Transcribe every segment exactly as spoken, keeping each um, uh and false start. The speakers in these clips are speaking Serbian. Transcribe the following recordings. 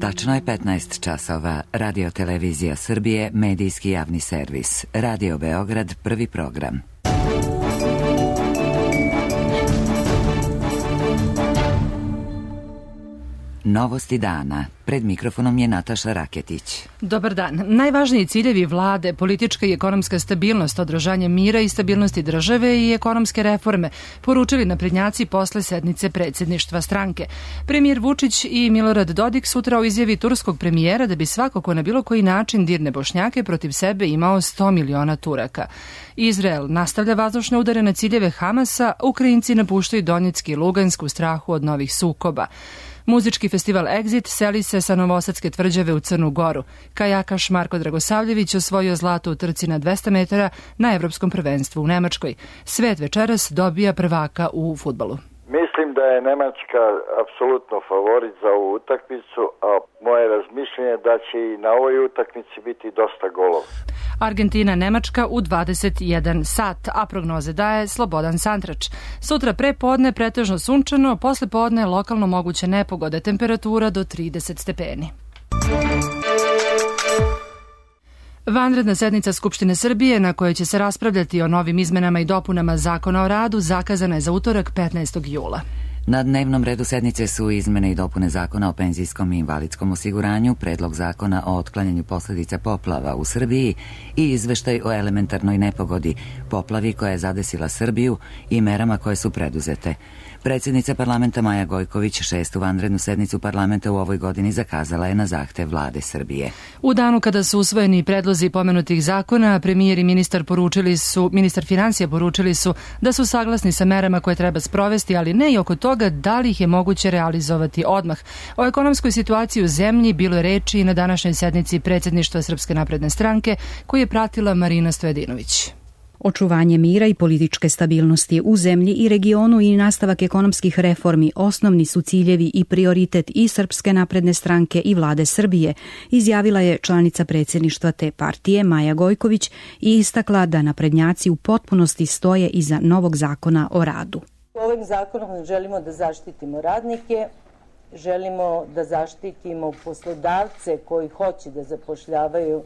Tačno je petnaest časova. Radio Televizija Srbije, medijski javni servis. Radio Beograd, prvi program. Novosti dana. Pred mikrofonom je Nataša Raketić. Dobar dan. Najvažniji ciljevi vlade, politička i ekonomska stabilnost, održanje mira i stabilnosti države i ekonomske reforme, poručili naprednjaci posle sednice predsjedništva stranke. Premijer Vučić i Milorad Dodik sutra u izjavi turskog premijera da bi svako ko na bilo koji način dirne Bošnjake protiv sebe imao sto miliona Turaka. Izrael nastavlja vazdušne udare na ciljeve Hamasa, Ukrajinci napuštaju Donjecki i Lugansk u strahu od novih sukoba. Muzički festival Exit seli se sa Novosadske tvrđave u Crnu Goru. Kajakaš Marko Dragosavljević osvojio zlato u trci na dvesta metara na Evropskom prvenstvu u Nemačkoj. Svet večeras dobija prvaka u fudbalu. Mislim da je Nemačka apsolutno favorit za ovu utakmicu, a moje razmišljenje je da će i na ovoj utakmici biti dosta golova. Argentina, Nemačka u dvadeset jedan sat, a prognoze daje Slobodan Santrač. Sutra pre podne pretežno sunčano, posle podne lokalno moguće nepogode, temperatura do trideset stepeni. Vanredna sednica Skupštine Srbije na kojoj će se raspravljati o novim izmenama i dopunama Zakona o radu zakazana je za utorak petnaestog jula. Na dnevnom redu sednice su izmene i dopune Zakona o penzijskom i invalidskom osiguranju, predlog Zakona o otklanjanju posljedica poplava u Srbiji i izveštaj o elementarnoj nepogodi, poplavi koja je zadesila Srbiju i merama koje su preduzete. Predsjednica parlamenta Maja Gojković šestu vanrednu sednicu parlamenta u ovoj godini zakazala je na zahtev vlade Srbije. U danu kada su usvojeni predlozi pomenutih zakona, premijer i ministar poručili su, ministar financija poručili su da su saglasni sa merama koje treba sprovesti, ali ne i oko toga da li ih je moguće realizovati odmah. O ekonomskoj situaciji u zemlji bilo je reči i na današnjoj sednici predsjedništva Srpske napredne stranke koju je pratila Marina Stojadinović. Očuvanje mira i političke stabilnosti u zemlji i regionu i nastavak ekonomskih reformi osnovni su ciljevi i prioritet i Srpske napredne stranke i vlade Srbije, izjavila je članica predsjedništva te partije Maja Gojković i istakla da naprednjaci u potpunosti stoje iza novog zakona o radu. Ovim zakonom želimo da zaštitimo radnike, želimo da zaštitimo poslodavce koji hoće da zapošljavaju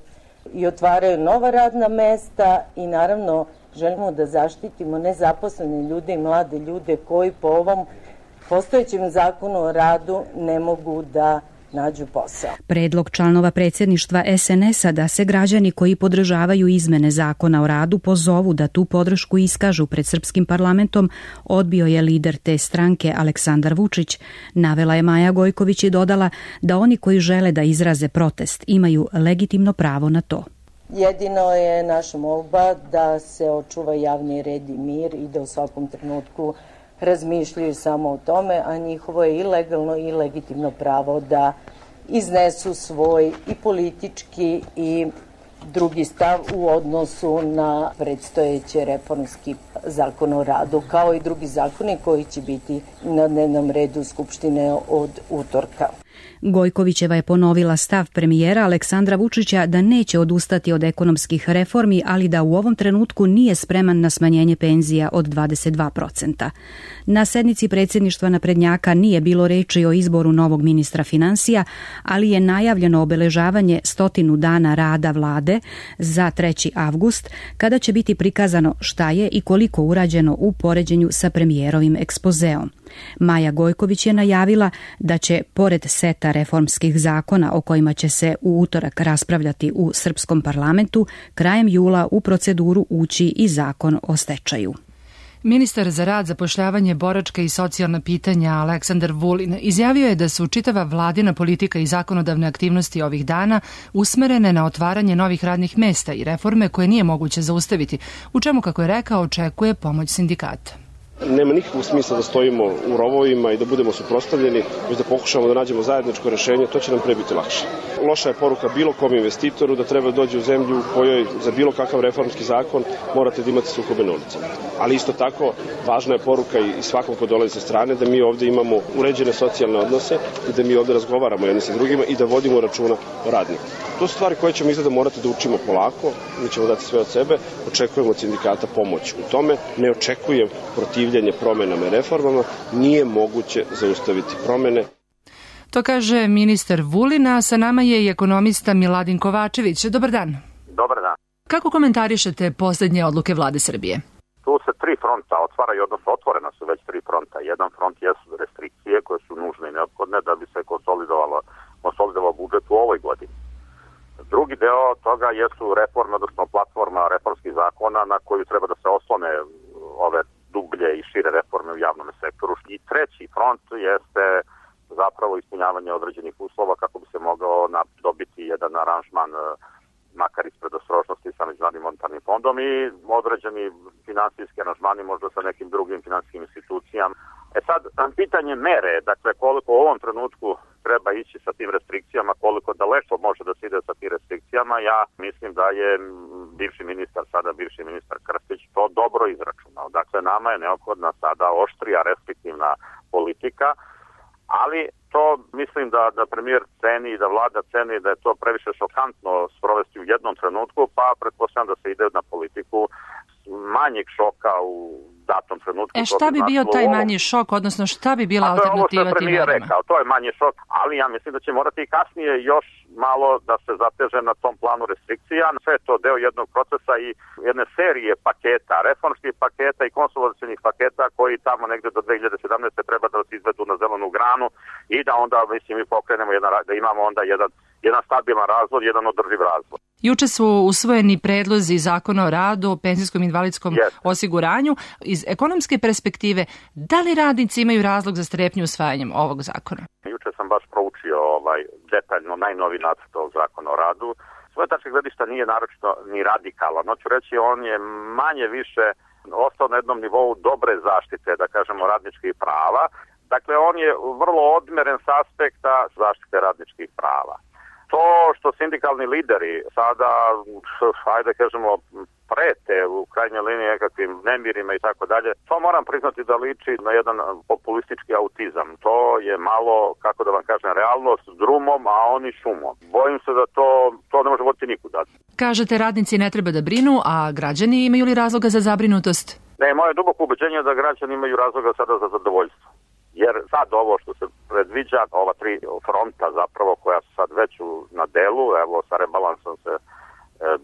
i otvaraju nova radna mesta i naravno želimo da zaštitimo nezaposlene ljude i mlade ljude koji po ovom postojećem zakonu o radu ne mogu da nađu posao. Predlog članova predsjedništva es en es a da se građani koji podržavaju izmene zakona o radu pozovu da tu podršku iskažu pred srpskim parlamentom odbio je lider te stranke Aleksandar Vučić. Navela je Maja Gojković i dodala da oni koji žele da izraze protest imaju legitimno pravo na to. Jedino je naša molba da se očuva javni red i mir i da u svakom trenutku razmišljaju samo o tome, a njihovo je i legalno i legitimno pravo da iznesu svoj i politički i drugi stav u odnosu na predstojeći reformski zakon o radu, kao i drugi zakoni koji će biti na dnevnom redu Skupštine od utorka. Gojkovićeva je ponovila stav premijera Aleksandra Vučića da neće odustati od ekonomskih reformi, ali da u ovom trenutku nije spreman na smanjenje penzija od dvadeset dva procenta. Na sednici predsjedništva naprednjaka nije bilo reči o izboru novog ministra financija, ali je najavljeno obeležavanje stotinu dana rada vlade za treći avgust, kada će biti prikazano šta je i koliko urađeno u poređenju sa premijerovim ekspozeom. Maja Gojković je najavila da će, pored seta reformskih zakona o kojima će se u utorak raspravljati u srpskom parlamentu, krajem jula u proceduru ući i zakon o stečaju. Ministar za rad, zapošljavanje, boračka i socijalna pitanja Aleksandar Vulin izjavio je da su čitava vladina politika i zakonodavne aktivnosti ovih dana usmerene na otvaranje novih radnih mesta i reforme koje nije moguće zaustaviti, u čemu, kako je rekao, očekuje pomoć sindikata. Nema nikakvog smisla da stojimo u rovovima i da budemo suprotstavljeni, već da pokušamo da nađemo zajedničko rešenje, to će nam pre biti lakše. Loša je poruka bilo kom investitoru da treba dođe u zemlju u kojoj za bilo kakav reformski zakon morate da imate sukobe na ulicama. Ali isto tako važna je poruka i svakom ko dolazi sa strane da mi ovde imamo uređene socijalne odnose i da mi ovde razgovaramo jedni sa drugima i da vodimo računa o radniku. To su stvari koje ćemo izgleda morati da učimo polako, mi ćemo dati sve od sebe, očekujemo od sindikata pomoć u tome, ne očekujem protivljenje promenama i reformama, nije moguće zaustaviti promene. To kaže ministar Vulin, a sa nama je i ekonomista Miladin Kovačević. Dobar dan. Dobar dan. Kako komentarišete poslednje odluke vlade Srbije? Tu se tri fronta otvaraju, odnosno otvorena su već tri fronta. Jedan front jesu restrikcije koje su nužne i neophodne da bi se konsolidovalo, konsolidovao budžet u ovoj godini. Drugi deo toga jesu reforme, odnosno platforma reformskih zakona na koju treba da se oslone ove dublje i šire reforme u javnom sektoru. I treći front jeste zapravo ispunjavanje određenih uslova kako bi se mogao dobiti jedan aranžman, makar iz predostrožnosti sa Međunarodnim monetarnim fondom i određeni finansijski aranžmani možda sa nekim drugim finansijskim institucijama. E sad, pitanje mere, dakle koliko u ovom trenutku treba ići sa tim restrikcijama, koliko daleko može da se ide sa tim restrikcijama, ja mislim da je bivši ministar, sada bivši ministar Krstić to dobro izračunao. Dakle, nama je neophodna sada oštrija restriktivna politika, ali to mislim da, da premijer ceni i da vlada ceni da je to previše šokantno sprovesti u jednom trenutku, pa pretpostavljam da se ide na politiku manjeg šoka u datom trenutku. E šta bi bio taj manji šok, odnosno šta bi bila alternativa tim merama? To je ovo što je premijer rekao, to je manji šok, ali ja mislim da će morati i kasnije još malo da se zateže na tom planu restrikcija. Sve je to deo jednog procesa i jedne serije paketa, reformskih paketa i konsolidacionih paketa koji tamo negde do dve hiljade sedamnaeste. treba da se izvedu na zelenu granu i da onda, mislim, mi pokrenemo jedan, da imamo onda jedan, jedan stabilan razvoj, jedan održiv razvoj. Juče su usvojeni predlozi zakona o radu, o penzijskom i invalidskom yes. osiguranju. Iz ekonomske perspektive, da li radnici imaju razlog za strepnju usvajanjem ovog zakona? Juče sam baš proučio ovaj, detaljno najnovi nacrt ovog zakona o radu. Svoje tačke gledišta nije naročito ni radikalan. Hoću reći, on je manje više ostao na jednom nivou dobre zaštite, da kažemo, radničkih prava. Dakle, on je vrlo odmeren s aspekta zaštite radničkih prava. To što sindikalni lideri sada, ajde kažemo, prete u krajnjoj liniji nekakvim nemirima i tako dalje, to moram priznati da liči na jedan populistički autizam. To je malo, kako da vam kažem, realnost drumom, a oni šumom. Bojim se da to, to ne može voditi nikuda. Kažete, radnici ne treba da brinu, a građani imaju li razloga za zabrinutost? Ne, moje duboko ubeđenje je da građani imaju razloga sada za zadovoljstvo. Jer sad ovo što se predviđa, ova tri fronta zapravo koja su sad već na delu, evo sa rebalansom se e,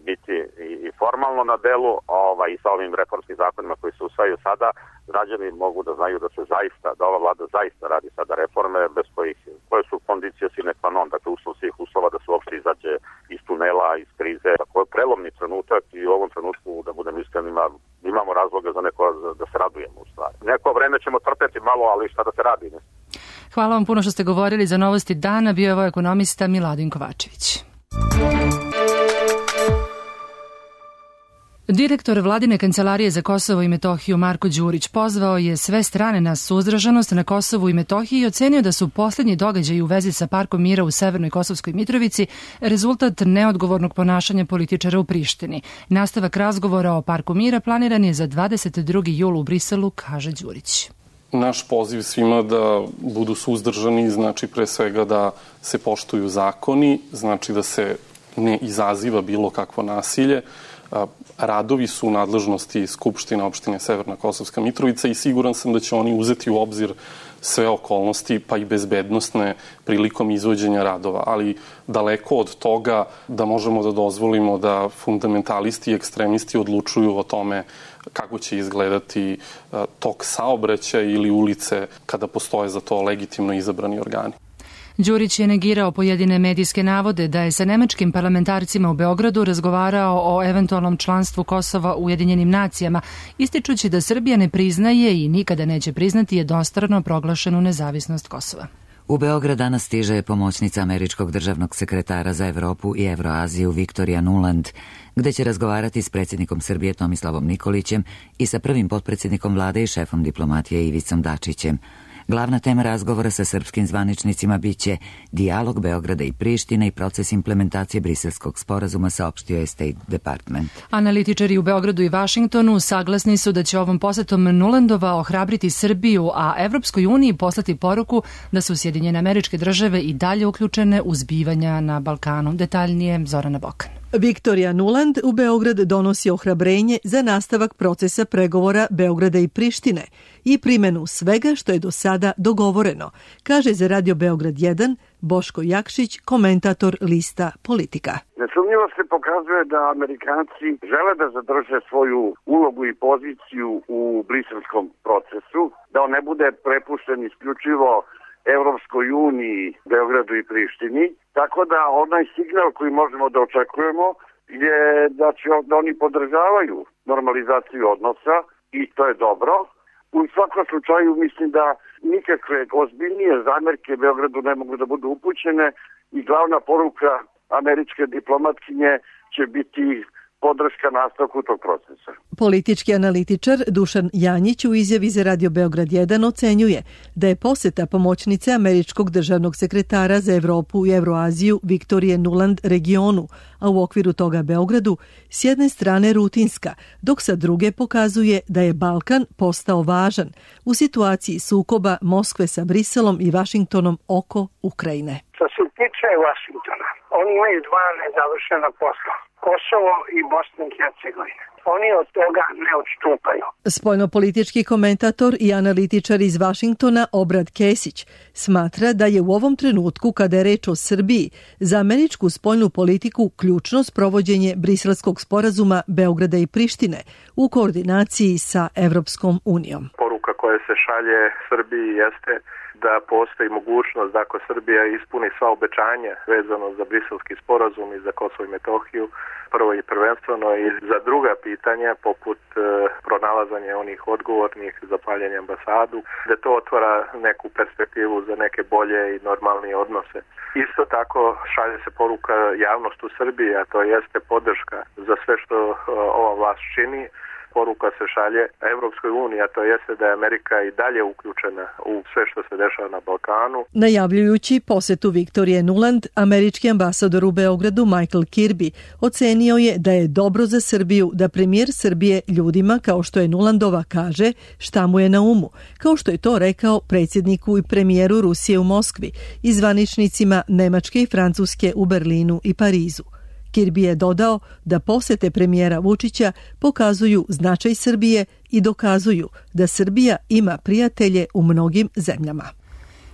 biti i, i formalno na delu, ovaj, i sa ovim reformskim zakonima koji se usvajaju sada, građani mogu da znaju da se zaista, da ova vlada zaista radi sada reforme bez kojih, koje su kondicije sine qua non, dakle uslov svih uslova da se uopšte izađe iz tunela, iz krize. Tako je prelomni trenutak i u ovom trenutku, da budem iskren, ima, imamo razloga za neko da se radujemo u stvari. Neko vreme ćemo trpeti malo, ali šta da se radi, ne? Hvala vam puno što ste govorili za Novosti dana. Bio je ovo ekonomista Miladin Kovačević. Direktor Vladine kancelarije za Kosovo i Metohiju Marko Đurić pozvao je sve strane na suzdržanost na Kosovu i Metohiji i ocenio da su poslednji događaji u vezi sa Parkom mira u Severnoj Kosovskoj Mitrovici rezultat neodgovornog ponašanja političara u Prištini. Nastavak razgovora o Parku mira planiran je za dvadeset drugi jul u Briselu, kaže Đurić. Naš poziv svima da budu suzdržani znači pre svega da se poštuju zakoni, znači da se ne izaziva bilo kakvo nasilje. Radovi su u nadležnosti Skupštine opštine Severna Kosovska Mitrovica i siguran sam da će oni uzeti u obzir sve okolnosti, pa i bezbednostne prilikom izvođenja radova, ali daleko od toga da možemo da dozvolimo da fundamentalisti i ekstremisti odlučuju o tome kako će izgledati tok saobraćaja ili ulice kada postoje za to legitimno izabrani organi. Đurić je negirao pojedine medijske navode da je sa nemačkim parlamentarcima u Beogradu razgovarao o eventualnom članstvu Kosova u Ujedinjenim nacijama, ističući da Srbija ne priznaje i nikada neće priznati jednostrano proglašenu nezavisnost Kosova. U Beograd danas stiže pomoćnica američkog državnog sekretara za Evropu i Evroaziju Viktorija Nuland, gde će razgovarati s predsjednikom Srbije Tomislavom Nikolićem i sa prvim potpredsjednikom vlade i šefom diplomatije Ivicom Dačićem. Glavna tema razgovora sa srpskim zvaničnicima biće dijalog Beograda i Prištine i proces implementacije briselskog sporazuma, saopštio je State Department. Analitičari u Beogradu i Vašingtonu saglasni su da će ovom posetom Nulandova ohrabriti Srbiju, a Evropskoj uniji poslati poruku da su Sjedinjene Američke Države i dalje uključene u zbivanja na Balkanu. Detaljnije Zorana Bokan. Viktorija Nuland u Beograd donosi ohrabrenje za nastavak procesa pregovora Beograda i Prištine i primenu svega što je do sada dogovoreno, kaže za Radio Beograd jedan Boško Jakšić, komentator lista Politika. Nesumnjivo se pokazuje da Amerikanci žele da zadrže svoju ulogu i poziciju u briselskom procesu, da on ne bude prepušten isključivo Evropskoj uniji, Beogradu i Prištini, tako da onaj signal koji možemo da očekujemo je da će da oni podržavaju normalizaciju odnosa i to je dobro. U svakom slučaju mislim da nikakve ozbiljnije zamerke Beogradu ne mogu da budu upućene i glavna poruka američke diplomatkinje će biti podrška nastavku tog procesa. Politički analitičar Dušan Janjić u izjavi za Radio Beograd jedan ocenjuje da je poseta pomoćnice američkog državnog sekretara za Evropu i Evroaziju Viktorije Nuland regionu, a u okviru toga Beogradu, s jedne strane rutinska, dok sa druge pokazuje da je Balkan postao važan u situaciji sukoba Moskve sa Briselom i Vašingtonom oko Ukrajine. Što se tiče Vašingtona, oni imaju dva nezavršena posla. Kosovo i Bosna i Hercegovina. Oni od toga ne odstupaju. Spoljnopolitički komentator i analitičar iz Vašingtona Obrad Kesić smatra da je u ovom trenutku, kada je reč o Srbiji, za američku spoljnu politiku ključno sprovođenje Briselskog sporazuma Beograda i Prištine u koordinaciji sa Evropskom unijom. Poruka koja se šalje Srbiji jeste da postoji mogućnost da ako Srbija ispuni sva obećanja vezano za Briselski sporazum i za Kosovo i Metohiju, prvo i prvenstveno i za druga pitanja poput e, pronalazanja onih odgovornih za paljenje ambasadu, da to otvara neku perspektivu za neke bolje i normalnije odnose. Isto tako šalje se poruka javnost u Srbiji, a to jeste podrška za sve što e, ova vlast čini. Poruka se šalje Evropskoj uniji, a to jeste da je Amerika i dalje uključena u sve što se dešava na Balkanu. Najavljujući posetu Viktorije Nuland, američki ambasador u Beogradu Michael Kirby ocenio je da je dobro za Srbiju da premijer Srbije ljudima, kao što je Nulandova, kaže šta mu je na umu, kao što je to rekao predsjedniku i premijeru Rusije u Moskvi i zvaničnicima Nemačke i Francuske u Berlinu i Parizu. Kirby je dodao da posete premijera Vučića pokazuju značaj Srbije i dokazuju da Srbija ima prijatelje u mnogim zemljama.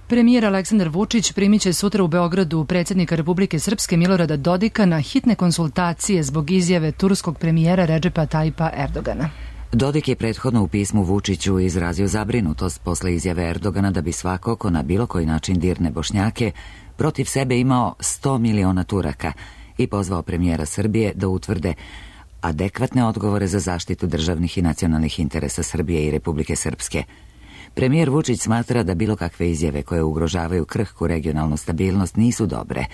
Premijer Aleksandar Vučić primit će sutra u Beogradu predsjednika Republike Srpske Milorada Dodika na hitne konsultacije zbog izjave turskog premijera Redžepa Tajipa Erdogana. Dodik je prethodno u pismu Vučiću izrazio zabrinutost posle izjave Erdogana da bi svako ko na bilo koji način dirne Bošnjake protiv sebe imao sto miliona Turaka i pozvao premijera Srbije da utvrde adekvatne odgovore za zaštitu državnih i nacionalnih interesa Srbije i Republike Srpske. Premijer Vučić smatra da bilo kakve izjave koje ugrožavaju krhku regionalnu stabilnost nisu dobre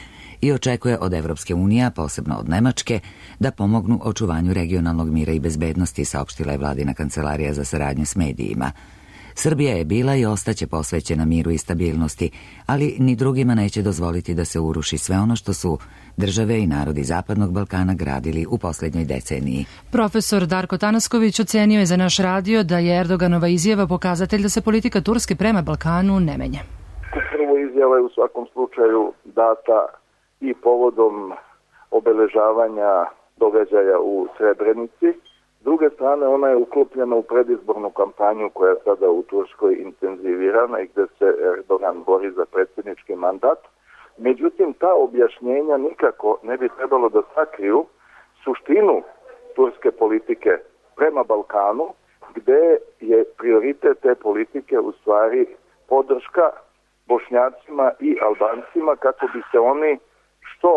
i očekuje od Evropske unije, posebno od Nemačke, da pomognu očuvanju regionalnog mira i bezbednosti, saopštila je vladina kancelarija za saradnju s medijima. Srbija je bila i ostaće posvećena miru i stabilnosti, ali ni drugima neće dozvoliti da se uruši sve ono što su države i narodi Zapadnog Balkana gradili u posljednjoj deceniji. Profesor Darko Tanasković ocenio je za naš radio da je Erdoganova izjava pokazatelj da se politika Turske prema Balkanu ne menja. Prvo izjava je u svakom slučaju data i povodom obeležavanja događaja u Srebrenici. S druge strane, ona je uklopljena u predizbornu kampanju koja je sada u Turskoj intenzivirana i gde se Erdogan bori za predsjednički mandat. Međutim, ta objašnjenja nikako ne bi trebalo da sakriju suštinu turske politike prema Balkanu, gde je prioritet te politike u stvari podrška Bošnjacima i Albancima kako bi se oni što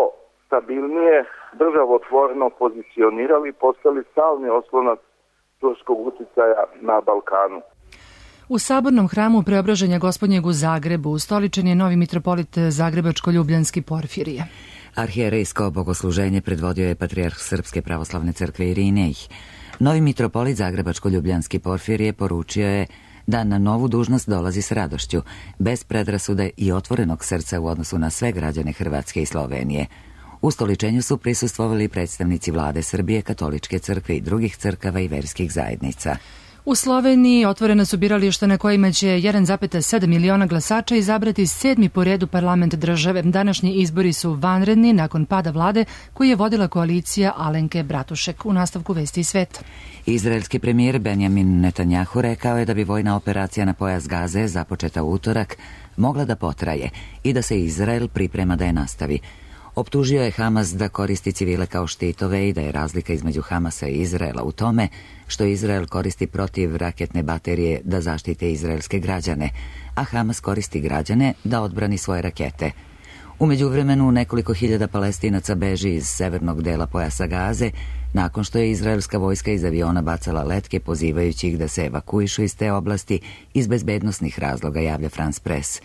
stabilnije, državotvorno pozicionirali i postali stalni oslonac turskog uticaja na Balkanu. U Sabornom hramu Preobraženja Gospodnjeg u Zagrebu ustoličen je novi mitropolit Zagrebačko-Ljubljanski Porfirije. Arhijerejsko bogosluženje predvodio je patrijarh Srpske pravoslavne crkve Irinej. Novi mitropolit Zagrebačko-Ljubljanski Porfirije poručio je da na novu dužnost dolazi s radošću, bez predrasude i otvorenog srca u odnosu na sve građane Hrvatske i Slovenije. Ustoličenju su prisustvovali predstavnici vlade Srbije, katoličke crkve i drugih crkava i verskih zajednica. U Sloveniji otvorena su birališta na kojima će jedan zarez sedam miliona glasača izabrati sedmi po redu parlament države. Današnji izbori su vanredni nakon pada vlade koju je vodila koalicija Alenke Bratušek. U nastavku Vesti i sveta. Izraelski premijer Benjamin Netanjahu rekao je da bi vojna operacija na pojas Gaze, započeta u utorak, mogla da potraje i da se Izrael priprema da je nastavi. Optužio je Hamas da koristi civile kao štitove i da je razlika između Hamasa i Izraela u tome što Izrael koristi protiv raketne baterije da zaštite izraelske građane, a Hamas koristi građane da odbrani svoje rakete. U međuvremenu nekoliko hiljada Palestinaca beži iz severnog dela pojasa Gaze nakon što je izraelska vojska iz aviona bacala letke pozivajući ih da se evakuišu iz te oblasti iz bezbednosnih razloga, javlja France Press.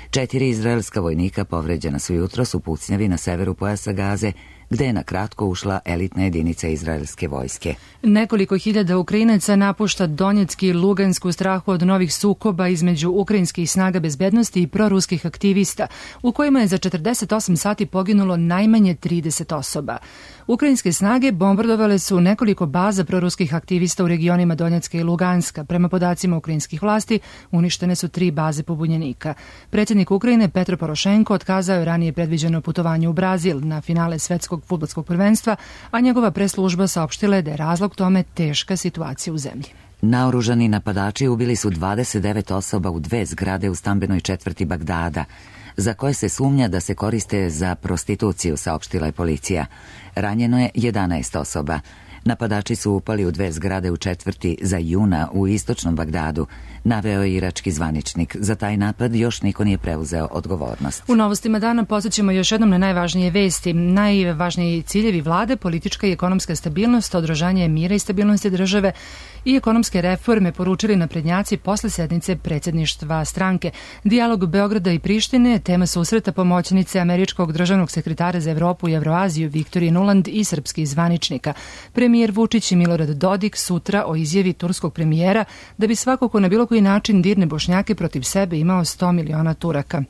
Četiri izraelska vojnika povređena su jutros u pucnjavi na severu pojasa Gaze, gde je na kratko ušla elitna jedinica izraelske vojske. Nekoliko hiljada Ukrajinaca napušta Donjecki i Lugansk u strahu od novih sukoba između ukrajinskih snaga bezbednosti i proruskih aktivista, u kojima je za četrdeset osam sati poginulo najmanje trideset osoba. Ukrajinske snage bombardovale su nekoliko baza proruskih aktivista u regionima Donjecka i Luganska. Prema podacima ukrajinskih vlasti, uništene su tri baze pobunjenika. Predsjednik Ukrajine Petro Porošenko otkazao je ranije predviđeno putovanje u Brazil na finale svetskog fudbalskog prvenstva, a njegova preslužba saopštila je da je razlog tome teška situacija u zemlji. Naoružani napadači ubili su dvadeset devet osoba u dve zgrade u stambenoj četvrti Bagdada, za koje se sumnja da se koriste za prostituciju, saopštila je policija. Ranjeno je jedanaest osoba. Napadači su upali u dve zgrade u četvrti za Juna u istočnom Bagdadu, naveo je irački zvaničnik. Za taj napad još niko nije preuzeo odgovornost. U novostima dana podsjećamo još jednom na najvažnije vesti. Najvažniji ciljevi vlade, politička i ekonomska stabilnost, održanje mira i stabilnosti države i ekonomske reforme, poručili naprednjaci posle sednice predsjedništva stranke. Dijalog Beograda i Prištine, tema susreta pomoćnice američkog državnog sekretara za Evropu i Evroaziju Viktorije Nuland i srpskih zvaničnika. Premijer Vučić i Milorad Dodik sutra o izjavi turskog premijera da bi svako ko na bilo koji način dirne Bošnjake protiv sebe imao sto miliona Turaka.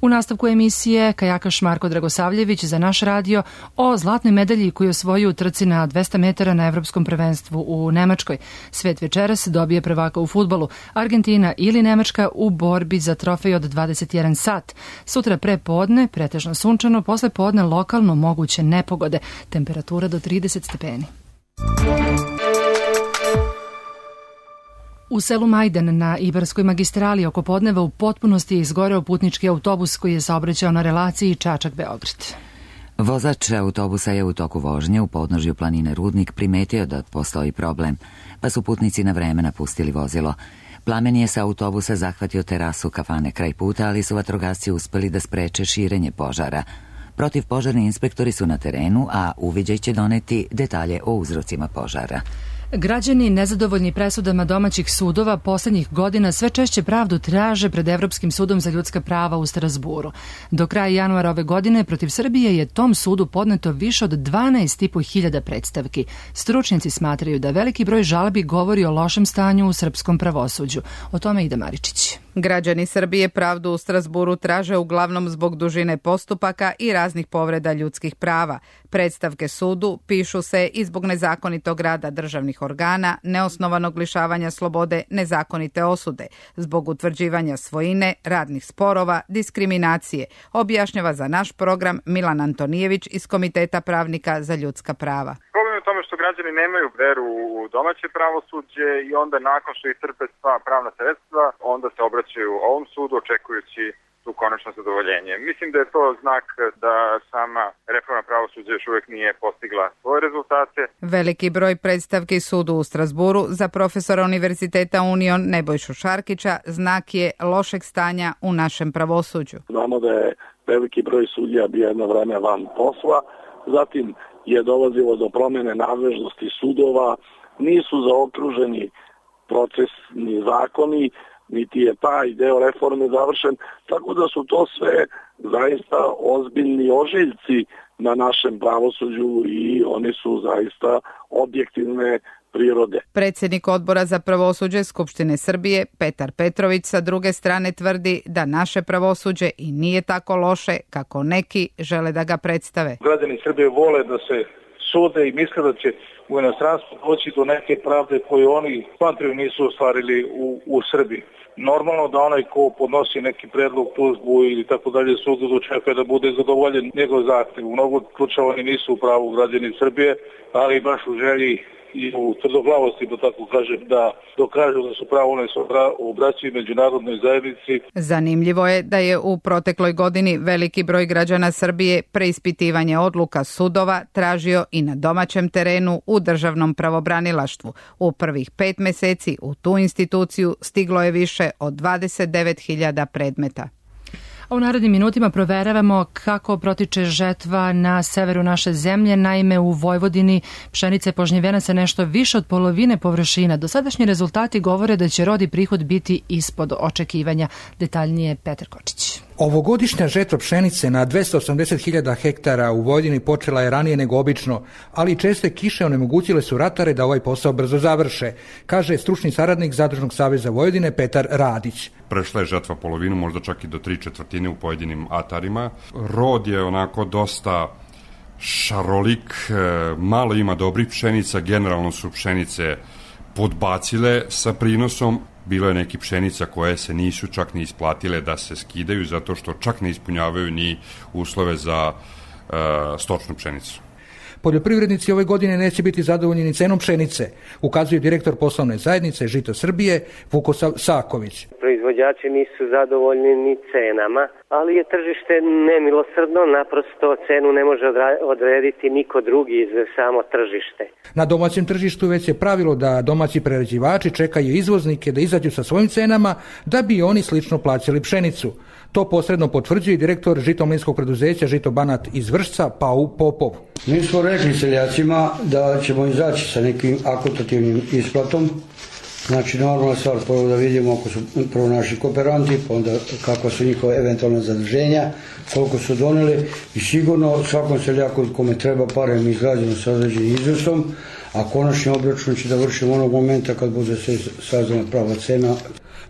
U nastavku emisije kajakaš Marko Dragosavljević za naš radio o zlatnoj medalji koju osvojio u trci na dvesta metara na evropskom prvenstvu u Nemačkoj. Svet večeras dobije prvaka u fudbalu. Argentina ili Nemačka u borbi za trofej od dvadeset jedan sat. Sutra pre podne, pretežno sunčano, posle podne lokalno moguće nepogode. Temperatura do trideset stepeni. U selu Majdan na Ibarskoj magistrali oko podneva u potpunosti je izgoreo putnički autobus koji je saobraćao na relaciji Čačak-Beograd. Vozač autobusa je u toku vožnje u podnožju planine Rudnik primetio da postoji problem, pa su putnici na vreme napustili vozilo. Plamen je sa autobusa zahvatio terasu kafane kraj puta, ali su vatrogasci uspeli da spreče širenje požara. Protivpožarni inspektori su na terenu, a uviđaj će doneti detalje o uzrocima požara. Građani nezadovoljni presudama domaćih sudova poslednjih godina sve češće pravdu traže pred Evropskim sudom za ljudska prava u Strazburu. Do kraja januara ove godine protiv Srbije je tom sudu podneto više od dvanaest i po hiljada predstavki. Stručnjaci smatraju da veliki broj žalbi govori o lošem stanju u srpskom pravosuđu. O tome Ida Maričić. Građani Srbije pravdu u Strazburu traže uglavnom zbog dužine postupaka i raznih povreda ljudskih prava. Predstavke sudu pišu se i zbog nezakonitog rada državnih organa, neosnovanog lišavanja slobode, nezakonite osude, zbog utvrđivanja svojine, radnih sporova, diskriminacije, objašnjava za naš program Milan Antonijević iz Komiteta pravnika za ljudska prava. Problem je u tome što građani nemaju veru u domaće pravosuđe i onda nakon što iscrpe sva pravna sredstva, onda se obraćaju ovom sudu očekujući tu konačno zadovoljenje. Mislim da je to znak da sama reforma pravosuđa još uvijek nije postigla svoje rezultate. Veliki broj predstavki sudu u Strazburu za profesora Univerziteta Union Nebojšu Šarkića znak je lošeg stanja u našem pravosuđu. Znamo da je veliki broj sudija bio jedno vreme van posla, zatim je dolazilo do promjene nadležnosti sudova, nisu zaokruženi procesni zakoni, niti je taj deo reforme završen, tako da su to sve zaista ozbiljni ožiljci na našem pravosuđu i oni su zaista objektivne prirode. Predsjednik odbora za pravosuđe Skupštine Srbije, Petar Petrović, sa druge strane tvrdi da naše pravosuđe i nije tako loše kako neki žele da ga predstave. Građani Srbije vole da se sude i misle da će u inostranstvu doći do neke pravde koju oni smatraju nisu ostvarili u, u Srbiji. Normalno da onaj ko podnosi neki predlog, tužbu ili tako dalje sudu dočekuje da bude zadovoljen njegov zahtev. U mnogo slučajeva oni nisu u pravu građani Srbije, ali baš u želji i u tvrdoglavosti, da tako kažem, da dokažu da su pravo ne obraćaju međunarodnoj zajednici. Zanimljivo je da je u protekloj godini veliki broj građana Srbije preispitivanje odluka sudova tražio i na domaćem terenu u državnom pravobranilaštvu. U prvih pet meseci u tu instituciju stiglo je više od dvadeset devet hiljada predmeta. A u narednim minutima proveravamo kako protiče žetva na severu naše zemlje. Naime, u Vojvodini pšenica je požnjevena sa nešto više od polovine površina. Dosadašnji rezultati govore da će rod i prihod biti ispod očekivanja. Detaljnije Petar Kočić. Ovogodišnja žetva pšenice na dvesta osamdeset hiljada hektara u Vojvodini počela je ranije nego obično, ali česte kiše onemogućile su ratare da ovaj posao brzo završe, kaže stručni saradnik Zadružnog saveza Vojvodine Petar Radić. Prešla je žetva polovinu, možda čak i do tri četvrtine u pojedinim atarima. Rod je onako dosta šarolik, malo ima dobrih pšenica, generalno su pšenice podbacile sa prinosom. Bilo je neki pšenica koje se nisu čak ni isplatile da se skidaju zato što čak ne ispunjavaju ni uslove za uh, stočnu pšenicu. Poljoprivrednici ove godine neće biti zadovoljni ni cenom pšenice, ukazuje direktor poslovne zajednice Žito Srbije Vuko Saković. Proizvođači nisu zadovoljni ni cenama, ali je tržište nemilosrdno, naprosto cenu ne može odrediti niko drugi iz samo tržište. Na domaćem tržištu već je pravilo da domaći prerađivači čekaju izvoznike da izađu sa svojim cenama da bi oni slično plaćali pšenicu. To posredno potvrđuje direktor žitomlinskog preduzeća Žito Banat iz Vršca Pau Popov. Mi smo rekli seljacima da ćemo izaći sa nekim akontativnim isplatom. Znači, normalna stvar, prvo da vidimo ako su prvo naši kooperanti, pa onda kakva su njihova eventualna zaduženja, koliko su doneli i sigurno svakom seljaku kome treba pare mi izgrađeno sa određenim iznosom, a konačni obračun će da vršimo onog momenta kad bude se sazdana prava cena.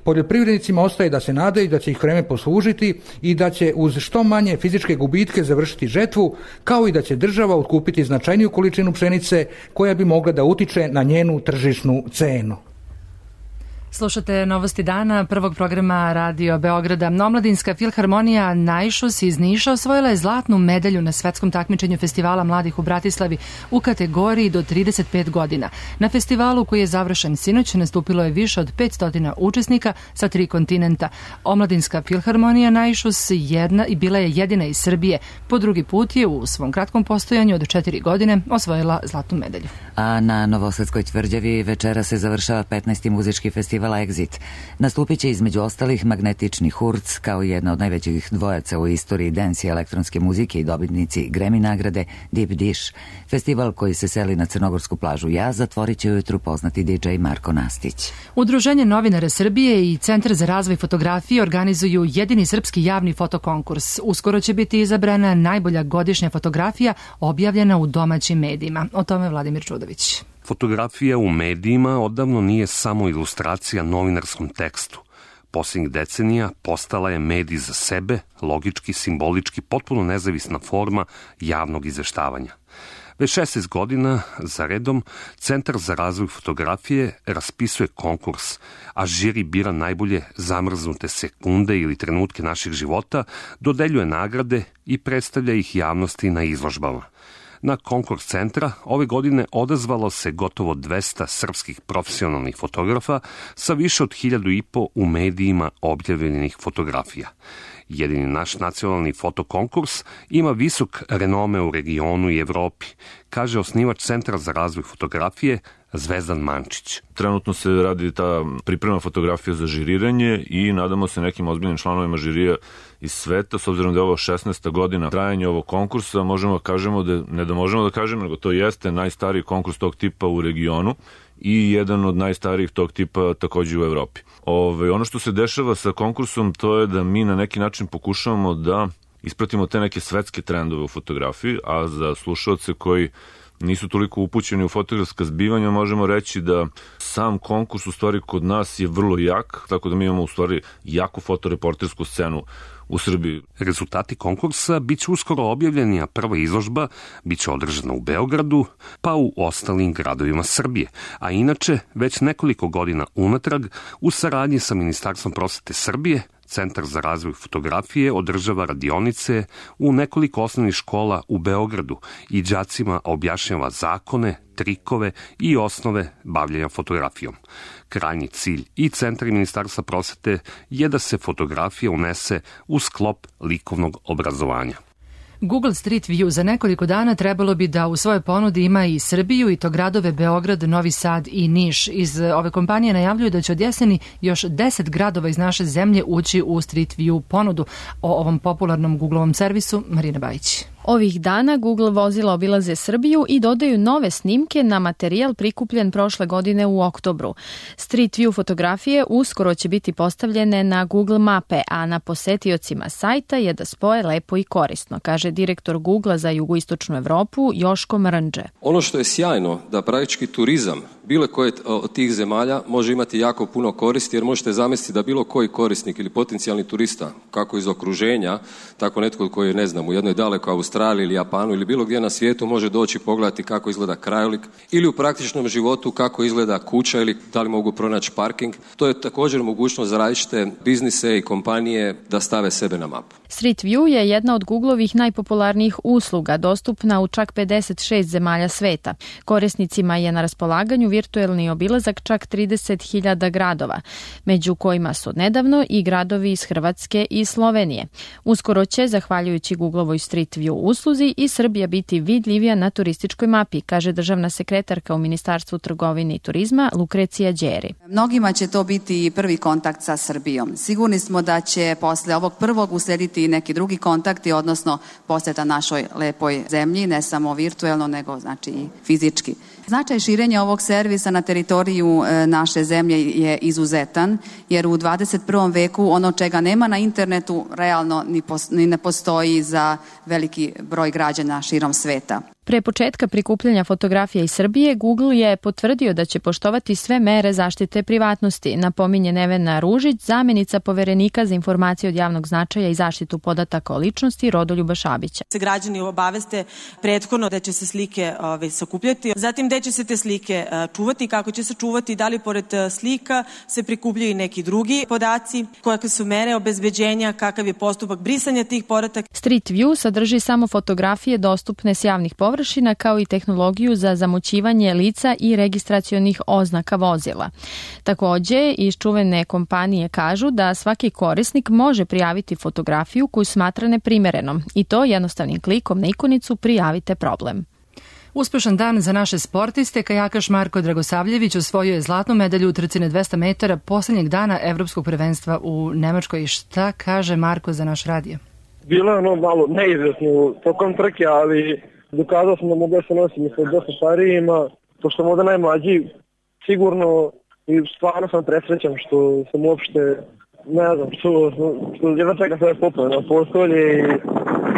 Poljoprivrednicima ostaje da se nadaju da će ih vreme poslužiti i da će uz što manje fizičke gubitke završiti žetvu, kao i da će država otkupiti značajniju količinu pšenice koja bi mogla da utiče na njenu tržišnu cenu. Slušate Novosti dana prvog programa Radio Beograda. Omladinska filharmonija Najšus iz Niša osvojila je zlatnu medalju na svetskom takmičenju Festivala mladih u Bratislavi u kategoriji do trideset pet godina. Na festivalu koji je završen sinoć nastupilo je više od petsto učesnika sa tri kontinenta. Omladinska filharmonija Najšus jedna i bila je jedina iz Srbije. Po drugi put je u svom kratkom postojanju od četiri godine osvojila zlatnu medalju. A na Novosadskoj tvrđavi večera se završava petnaesti muzički festival Exit. Nastupit će između ostalih Magnetični Hurc, kao jedna od najvećih dvojaca u istoriji dance i elektronske muzike i dobitnici Grammy nagrade Deep Dish. Festival koji se seli na crnogorsku plažu Jaz zatvorit će ujutru poznati di džej Marko Nastić. Udruženje novinara Srbije i Centar za razvoj fotografije organizuju jedini srpski javni fotokonkurs. Uskoro će biti izabrana najbolja godišnja fotografija objavljena u domaćim medijima. O tome Vladimir Čudović. Fotografija u medijima odavno nije samo ilustracija novinarskom tekstu. Posljednjih decenija postala je medij za sebe, logički, simbolički, potpuno nezavisna forma javnog izveštavanja. Već šesnaest godina za redom Centar za razvoj fotografije raspisuje konkurs, a žiri bira najbolje zamrznute sekunde ili trenutke naših života, dodeljuje nagrade i predstavlja ih javnosti na izložbama. Na konkurs centra ove godine odazvalo se gotovo dvesta srpskih profesionalnih fotografa sa više od hiljadu i po u medijima objavljenih fotografija. Jedini naš nacionalni fotokonkurs ima visok renome u regionu i Evropi, kaže osnivač Centra za razvoj fotografije Zvezdan Mančić. Trenutno se radi ta priprema fotografija za žiriranje i nadamo se nekim ozbiljnim članovima žirija iz sveta. S obzirom da je ovo šesnaesta godina trajanja ovog konkursa, možemo da kažemo da, ne da možemo da kažemo, nego to jeste najstariji konkurs tog tipa u regionu i jedan od najstarijih tog tipa takođe u Evropi. Ove, ono što se dešava sa konkursom, to je da mi na neki način pokušavamo da ispratimo te neke svetske trendove u fotografiji, a za slušalce koji nisu toliko upućeni u fotografska zbivanja, možemo reći da sam konkurs u stvari kod nas je vrlo jak, tako da mi imamo u stvari jaku fotoreportersku scenu u Srbiji. Rezultati konkursa biće uskoro objavljeni, a prva izložba biće održana u Beogradu, pa u ostalim gradovima Srbije. A inače, već nekoliko godina unatrag, u saradnji sa Ministarstvom prosvete Srbije, Centar za razvoj fotografije održava radionice u nekoliko osnovnih škola u Beogradu i đacima objašnjava zakone, trikove i osnove bavljenja fotografijom. Krajnji cilj i Centar i Ministarstva prosvete je da se fotografija unese u sklop likovnog obrazovanja. Google Street View za nekoliko dana trebalo bi da u svojoj ponudi ima i Srbiju, i to gradove Beograd, Novi Sad i Niš. Iz ove kompanije najavljuju da će od jeseni još deset gradova iz naše zemlje ući u Street View ponudu. O ovom popularnom Googleovom servisu Marina Bajić. Ovih dana Google vozila obilaze Srbiju i dodaju nove snimke na materijal prikupljen prošle godine u oktobru. Street View fotografije uskoro će biti postavljene na Google mape, a na posetiocima sajta je da spoje lepo i korisno, kaže direktor Googlea za jugoistočnu Evropu Joško Mrnđe. Ono što je sjajno da praktički turizam bilo koje od tih zemalja može imati jako puno koristi, jer možete zamisliti da bilo koji korisnik ili potencijalni turista, kako iz okruženja, tako netko koji je, ne znam, u jednoj dalekoj Australiji ili Japanu ili bilo gdje na svijetu može doći pogledati kako izgleda krajolik ili u praktičnom životu kako izgleda kuća ili da li mogu pronaći parking. To je također mogućnost za različite biznise i kompanije da stave sebe na mapu. Street View je jedna od Googlovih najpopularnijih usluga, dostupna u čak pedeset šest zemalja sveta. Korisnicima je na raspolaganju virtuelni obilazak čak trideset hiljada gradova, među kojima su nedavno i gradovi iz Hrvatske i Slovenije. Uskoro će, zahvaljujući Googlovoj Street View usluzi, i Srbija biti vidljivija na turističkoj mapi, kaže državna sekretarka u Ministarstvu trgovine i turizma Lukrecija Đeri. Mnogima će to biti prvi kontakt sa Srbijom. Sigurni smo da će posle ovog prvog uslediti neki drugi kontakti, odnosno posjeta našoj lepoj zemlji, ne samo virtuelno, nego znači i fizički. Značaj širenja ovog servisa na teritoriju naše zemlje je izuzetan, jer u dvadeset prvom veku ono čega nema na internetu realno ni, pos, ni ne postoji za veliki broj građana širom sveta. Pre početka prikupljanja fotografija iz Srbije, Google je potvrdio da će poštovati sve mere zaštite privatnosti, napominje Nevena Ružić, zamjenica poverenika za informacije od javnog značaja i zaštitu podataka o ličnosti Rodoljuba Šabića. Se građani obaveste prethodno da će se slike ove, sakupljati, zatim gde će se te slike čuvati, kako će se čuvati, da li pored slika se prikupljaju i neki drugi podaci, kakve su mere obezbeđenja, kakav je postupak brisanja tih podataka. Street View sadrži samo fotografije dostupne s javnih površina, kao i tehnologiju za zamućivanje lica i registracionih oznaka vozila. Takođe, iz čuvene kompanije kažu da svaki korisnik može prijaviti fotografiju koju smatra neprimerenom, i to jednostavnim klikom na ikonicu Prijavite problem. Uspešan dan za naše sportiste. Kajakaš Marko Dragosavljević osvojio je zlatnu medalju u trci na dvesta metara poslednjeg dana evropskog prvenstva u Nemačkoj. Šta kaže Marko za naš radio? Bilo je ono malo neizvesno tokom trke, ali dokazao sam da mogu da se nosim sa dosta starijima, pošto sam ovdje najmlađi, sigurno, i stvarno sam presrećan što sam uopšte, ne znam, što, što jedna čeka sve popne na postolje i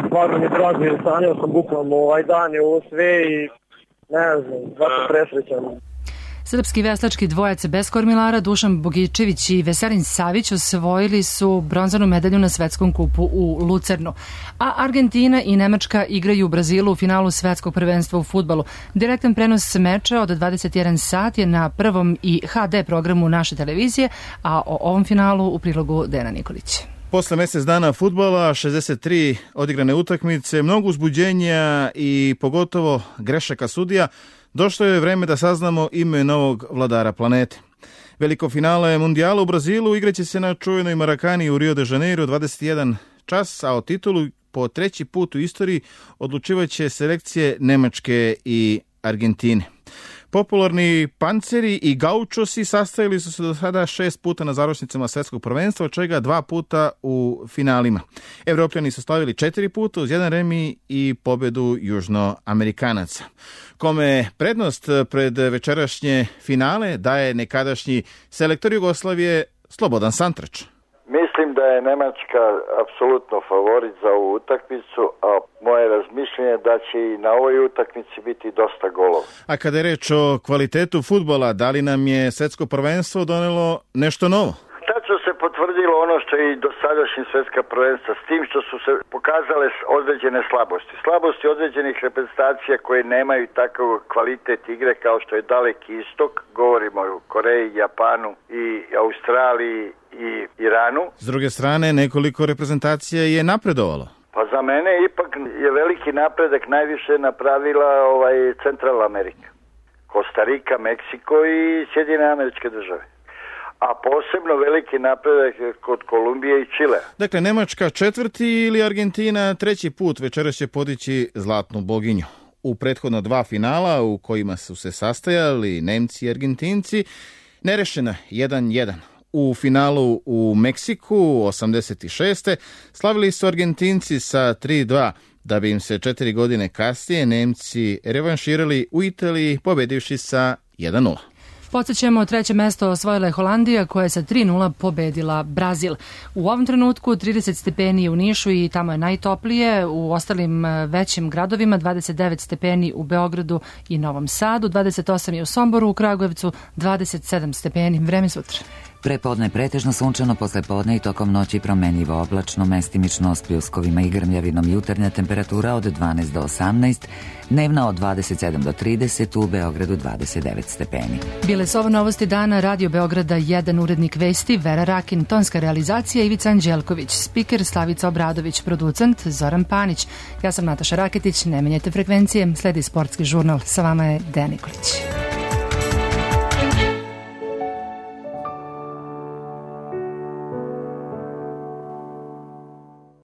stvarno mi je drago, jer sanjao sam bukvalno ovaj dan i ovo sve i ne znam, zato presrećan. Srpski veslački dvojac bez kormilara Dušan Bogičević i Veselin Savić osvojili su bronzanu medalju na svetskom kupu u Lucernu. A Argentina i Nemačka igraju u Brazilu u finalu svetskog prvenstva u fudbalu. Direktan prenos meča od dvadeset jedan sat je na prvom i ha de programu naše televizije, a o ovom finalu u prilogu Dena Nikolić. Posle mjesec dana fudbala, šezdeset tri odigrane utakmice, mnogo uzbuđenja i pogotovo grešaka sudija, došlo je vreme da saznamo ime novog vladara planete. Veliko finale mundijala u Brazilu igraće se na čuvenoj Marakani u Rio de Janeiro dvadeset jedan čas, a o titulu po treći put u istoriji odlučivaće selekcije Nemačke i Argentine. Popularni panceri i gaučosi sastavili su se do sada šest puta na završnicama svetskog prvenstva, od čega dva puta u finalima. Evropljani su slavili četiri puta uz jedan remi i pobedu južnoamerikanaca. Kome prednost pred večerašnje finale daje nekadašnji selektor Jugoslavije Slobodan Santrač. Mi Mislim da je Nemačka apsolutno favorit za ovu utakmicu, a moje razmišljenje da će i na ovoj utakmici biti dosta golova. A kada je reč o kvalitetu fudbala, da li nam je svetsko prvenstvo donelo nešto novo? Tačno se potvrdilo ono što je i dosadašnji svetska prvenstva, s tim što su se pokazale određene slabosti. Slabosti određenih reprezentacija koje nemaju takav kvalitet igre kao što je Daleki istok, govorimo o Koreji, Japanu i Australiji i Iranu. S druge strane, nekoliko reprezentacija je napredovalo. Pa za mene ipak je veliki napredak najviše napravila ovaj Centralna Amerika. Kostarika, Meksiko i Sjedinjene Američke Države. A posebno veliki napredak kod Kolumbije i Čile. Dakle, Nemačka četvrti ili Argentina treći put večeras će podići zlatnu boginju. U prethodno dva finala u kojima su se sastajali Nemci i Argentinci, nerešena jedan jedan. U finalu u Meksiku osamdeset šeste slavili su Argentinci sa tri dva, da bi im se četiri godine kasnije Nemci revanširali u Italiji pobedivši sa jedan nula. Podsjećamo, treće mesto osvojila je Holandija koja je sa tri nula pobedila Brazil. U ovom trenutku trideset stepeni u Nišu i tamo je najtoplije, u ostalim većim gradovima dvadeset devet stepeni u Beogradu i Novom Sadu, dvadeset osam je u Somboru, u Kragujevcu dvadeset sedam stepeni. Vreme sutra. Prepodne pretežno sunčano, posle podne i tokom noći promenljivo oblačno, mestimično s pljuskovima i grmljavinom. Jutarnja temperatura od dvanaest do osamnaest, dnevna od dvadeset sedam do trideset, u Beogradu dvadeset devet stepeni. Bile su ovo novosti dana, Radio Beograda jedan, urednik vesti Vera Rakin, tonska realizacija Ivica Anđelković, spiker Slavica Obradović, producent Zoran Panić. Ja sam Nataša Raketić, ne menjajte frekvencije, sledi sportski žurnal, sa vama je Dejan Nikolić.